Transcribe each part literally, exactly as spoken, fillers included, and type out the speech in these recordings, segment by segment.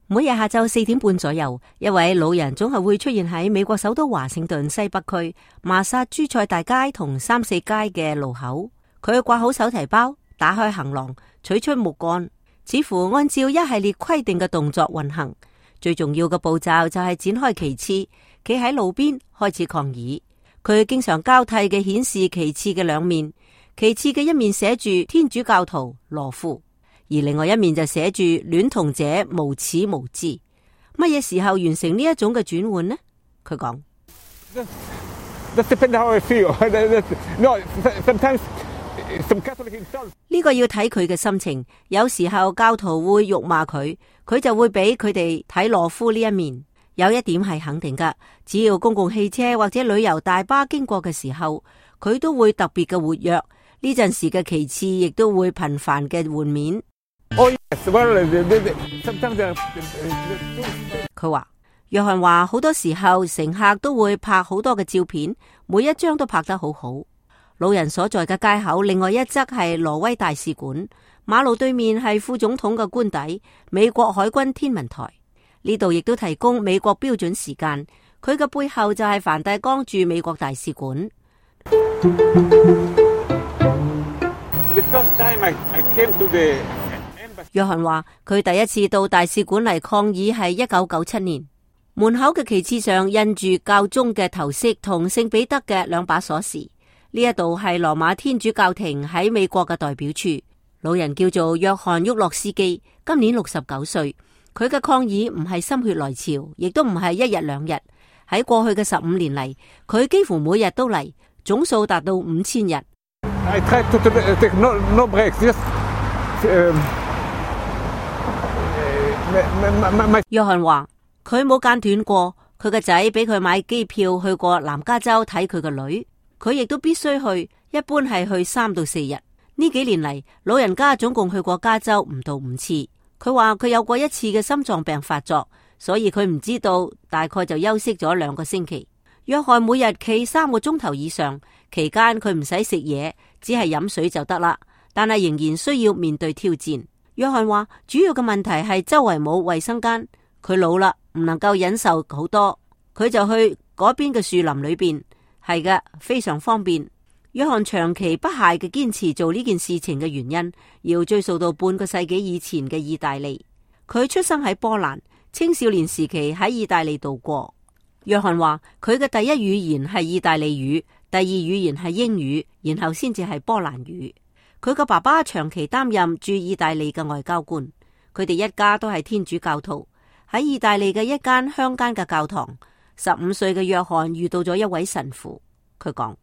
每日下晝四點半左右，一位老人總係會出現喺美國首都華盛頓西北區麻薩諸塞大街同三四街嘅路口。佢掛好手提包，打開行囊，取出木杆，似乎按照一系列規定嘅動作運行。最重要嘅步驟就係展開旗幟，企喺路邊開始抗議。佢經常交替嘅顯示旗幟嘅兩面，旗幟嘅一面寫住天主教徒羅富，而另外一面就寫住戀童者無恥無知。乜嘢時候完成呢一種嘅轉換呢？佢講呢個要睇佢嘅心情，有時候教徒會辱罵佢，佢就會俾佢哋睇羅夫呢一面。有一點係肯定噶，只要公共汽車或者旅遊大巴經過嘅時候，佢都會特別嘅活躍。呢陣時嘅旗幟亦都會頻繁嘅換面。佢話約翰話好多時候乘客都會拍好多嘅照片，每一張都拍得好好。老人所在嘅街口另外一側係挪威大使館，馬路對面係副總統嘅官邸，美國海軍天文台。呢度亦都提供美國標準時間，佢嘅背後就係梵蒂岡駐美國大使館。約翰話佢第一次到大使館嚟抗議係一九九七年，門口嘅旗幟上印住教宗嘅頭飾同聖彼得嘅兩把鎖匙。呢一度係羅馬天主教廷喺美國嘅代表處。老人叫做約翰沃洛斯基，今年六十九歲。佢嘅抗議唔係心血來潮，亦都唔係一日兩日。喺過去嘅十五年嚟，佢幾乎每日都嚟，總數達到五千日。約翰話佢冇間斷過，佢個仔俾佢買機票去過南加州睇佢個女，佢亦都必須去，一般係去三到四日。呢幾年嚟，老人家總共去過加州唔到五次。佢話佢有過一次嘅心臟病發作，所以佢唔知道，大概就休息咗兩個星期。約翰每日企三個鐘頭以上，期間佢唔使食嘢，只係飲水就得啦。但係仍然需要面對挑戰。約翰話主要嘅問題係周圍冇衛生間，佢老啦，唔能夠忍受好多，佢就去嗰邊嘅樹林裏邊，係嘅，非常方便。約翰長期不懈嘅堅持做呢件事情嘅原因，要追溯到半個世紀以前嘅意大利。佢出生喺波蘭，青少年時期喺意大利度過。約翰話佢嘅第一語言係意大利語，第二語言係英語，然後先至係波蘭語。佢個爸爸長期擔任駐意大利嘅外交官，佢哋一家都係天主教徒。喺意大利嘅一間鄉間嘅教堂，十五歲嘅約翰遇到咗一位神父，佢講。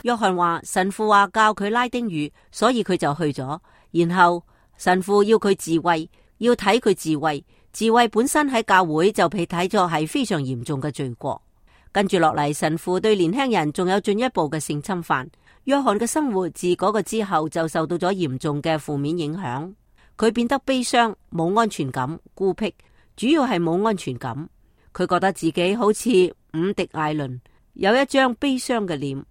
約翰話神父話教佢拉丁語，所以佢就去咗。然後神父要佢自衛，要睇佢自衛。自衛本身喺教會就被睇作係非常嚴重嘅罪過。跟住落嚟，神父對年輕人仲有進一步嘅性侵犯。約翰嘅生活自嗰個之後就受到咗嚴重嘅負面影響。佢變得悲傷、冇安全感、孤僻，主要係冇安全感。佢覺得自己好似伍迪艾倫，有一張悲傷嘅臉。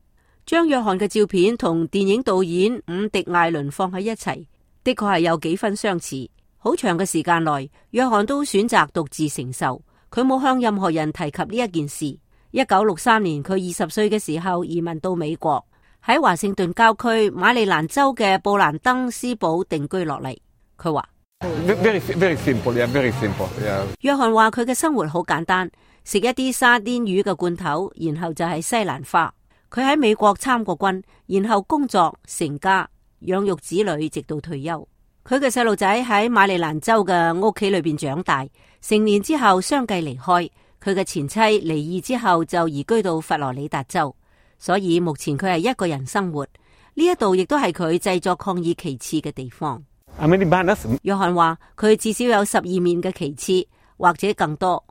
將約翰嘅照片同電影導演伍迪艾倫放喺一齊，的確係有幾分相似。好長嘅時間內，約翰都選擇獨自承受，佢冇向任何人提及呢一件事。一九六三年，佢二十歲嘅時候移民到美國，喺華盛頓郊區馬里蘭州嘅布蘭登斯堡定居落嚟。佢話Very, very simple, yeah, very simple, yeah. 約翰話佢嘅生活好簡單，食一啲沙甸魚嘅罐頭，然後就係西蘭花。佢喺美國參過軍，然後工作成家，養育子女，直到退休。佢嘅細路仔喺馬里蘭州嘅屋企裏邊長大，成年之後相繼離開。佢嘅前妻離異之後就移居到佛羅里達州，所以目前佢係一個人生活。呢一度亦都係佢製作抗議旗幟嘅地方。約翰話佢至少有十二面嘅旗幟，或者更多。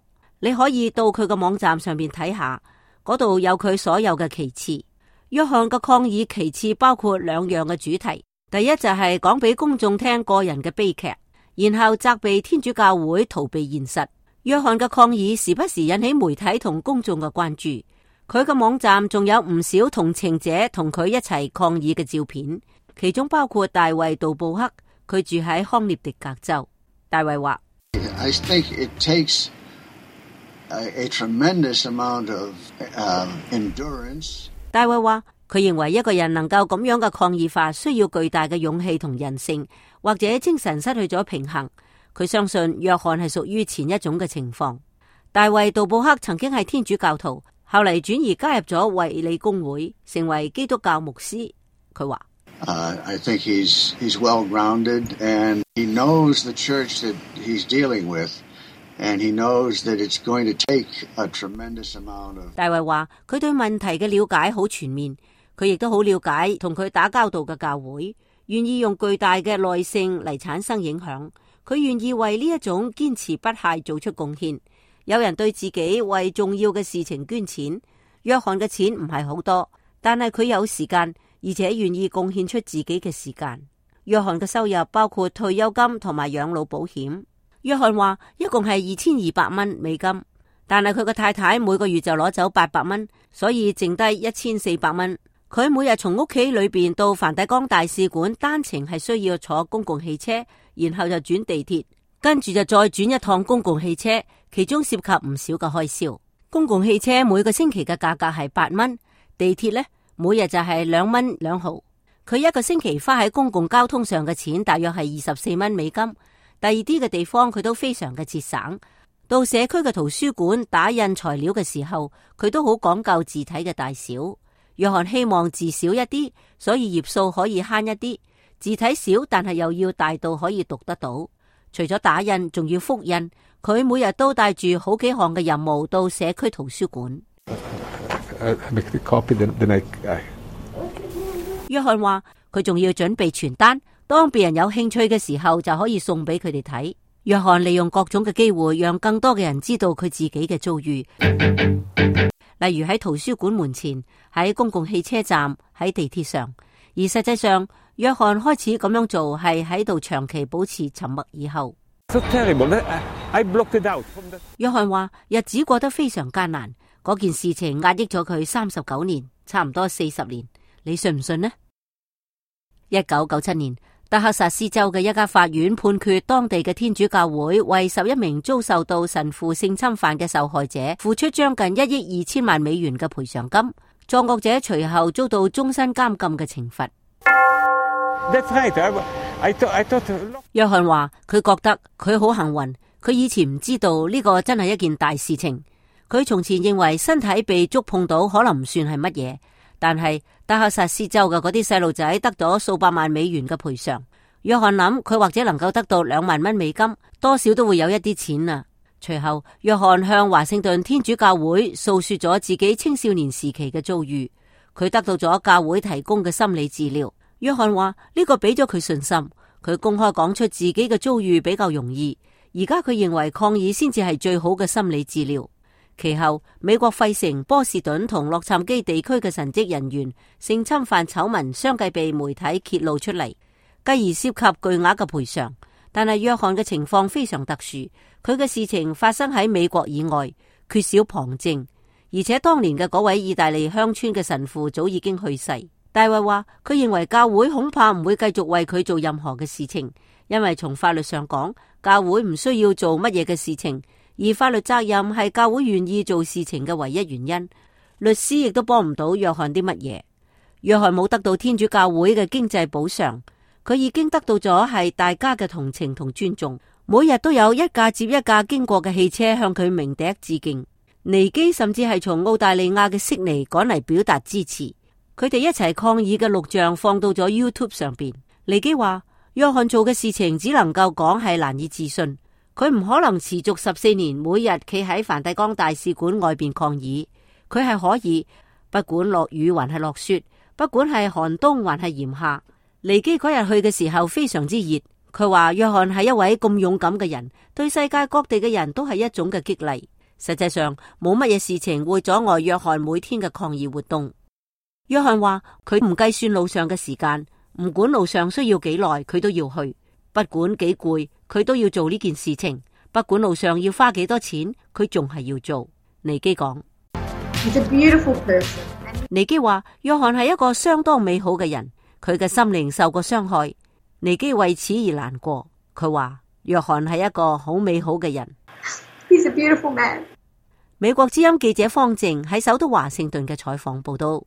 你可以到佢嘅網站上面睇下，嗰度有佢所有嘅旗幟。約翰嘅抗議旗幟包括兩樣嘅主題，第一就係講俾公眾聽個人嘅悲劇，然後責備天主教會逃避現實。約翰嘅抗議時不時引起媒體同公眾嘅關注。佢嘅網站仲有唔少同情者同佢一齊抗議嘅照片。其中包括大衛杜布克，佢住喺康涅狄格州。大衛話 I think it takes a, a tremendous amount of uh, endurance. 大衛話佢認為一個人能夠咁樣嘅抗議法，需要巨大嘅勇氣同韌性，或者精神失去咗平衡。佢相信約翰係屬於前一種嘅情況。大衛杜布克曾經係天主教徒，後嚟轉移加入咗衛理公會，成為基督教牧師。佢話Uh, I think he's he's well grounded, and he knows the church that he's dealing with, and he knows that it's going to take a tremendous amount of. 大衛話佢對問題嘅了解好全面，佢亦都好了解同佢打交道嘅教會，願意用巨大嘅耐性嚟產生影響。佢願意為呢一種堅持不懈做出貢獻。有人對自己為重要嘅事情捐錢，約翰嘅錢唔係好多，但係佢有時間。而且願意貢獻出自己嘅時間。約翰嘅收入包括退休金同埋養老保險。約翰話一共係二千二百蚊美金，但係佢嘅太太每個月就攞走八百蚊，所以剩低一千四百蚊。佢每日從屋企裏邊到梵蒂岡大使館單程係需要坐公共汽車，然後就轉地鐵，跟住就再轉一趟公共汽車，其中涉及唔少嘅開銷。公共汽車每個星期嘅價格係八蚊，地鐵呢，每日就係兩蚊兩毫。佢一個星期花喺公共交通上嘅錢大約係二十四蚊美金。第二啲嘅地方佢都非常嘅節省。到社區嘅圖書館打印材料嘅時候，佢都好講究字體嘅大小。約翰希望字少一啲，所以頁數可以慳一啲。字體少，但係又要大到可以讀得到。除咗打印，仲要複印。佢每日都帶住好幾項嘅任務到社區圖書館。約翰話佢仲要準備傳單，當別人有興趣嘅時候就可以送俾佢哋睇。約翰利用各種嘅機會，讓更多嘅人知道佢自己嘅遭遇，例如喺圖書館門前、喺公共汽車站、喺地鐵上。而實際上，約翰開始咁樣做係喺度長期保持沉默以後。So terrible. I blocked it out. 約翰話日子過得非常艱難。嗰件事情壓抑咗佢三十九年，差唔多四十年。你信唔信呢？一九九七年，德克薩斯州嘅一家法院判決當地嘅天主教會為十一名遭受到神父性侵犯嘅受害者付出將近一億二千萬美元嘅賠償金。作惡者隨後遭到終身監禁嘅懲罰。That's right. I, I thought, I thought... 約翰話佢覺得佢好幸運，佢以前唔知道呢個真係一件大事情。佢從前認為身體被觸碰到可能唔算係乜嘢，但係德克薩斯州嘅嗰啲細路仔得咗數百萬美元嘅賠償。約翰諗佢或者能夠得到兩萬蚊美金，多少都會有一啲錢啊。隨後，約翰向華盛頓天主教會訴說咗自己青少年時期嘅遭遇，佢得到咗教會提供嘅心理治療。約翰話呢個俾咗佢信心，佢公開講出自己嘅遭遇比較容易。而家佢認為抗議先至係最好嘅心理治療。其後，美國費城、波士頓同洛杉磯地區嘅神職人員性侵犯醜聞相繼被媒體揭露出嚟，繼而涉及巨額嘅賠償。但係約翰嘅情況非常特殊，佢嘅事情發生喺美國以外，缺少旁證，而且當年嘅嗰位意大利鄉村嘅神父早已經去世。大衛話佢認為教會恐怕唔會繼續為佢做任何嘅事情，因為從法律上講，教會唔需要做乜嘢嘅事情。而法律責任係教會願意做事情嘅唯一原因，律師亦都幫唔到約翰啲乜嘢。約翰冇得到天主教會嘅經濟補償，佢已經得到咗係大家嘅同情同尊重。每日都有一架接一架經過嘅汽車向佢鳴笛致敬。尼基甚至係從澳大利亞嘅悉尼趕嚟表達支持。佢哋一齊抗議嘅錄像放到咗 YouTube 上邊。尼基話約翰做嘅事情只能夠講係難以置信。佢唔可能持續十四年每日企喺梵蒂岡大使館外邊抗議，佢係可以，不管落雨還係落雪，不管係寒冬還係炎夏。尼基嗰日去嘅時候非常之熱，佢話約翰係一位咁勇敢嘅人，對世界各地嘅人都係一種嘅激勵。實際上冇乜嘢事情會阻礙約翰每天嘅抗議活動。約翰話佢唔計算路上嘅時間，唔管路上需要幾耐，佢都要去。不管幾攰，佢都要做呢件事情。不管路上要花幾多錢，佢仲係要做。尼基講，尼基話約翰係一個相當美好嘅人，佢嘅心靈受過傷害，尼基為此而難過。佢話約翰係一個好美好嘅人。He's a beautiful man. 美國之音記者方靜喺首都華盛頓嘅採訪報道。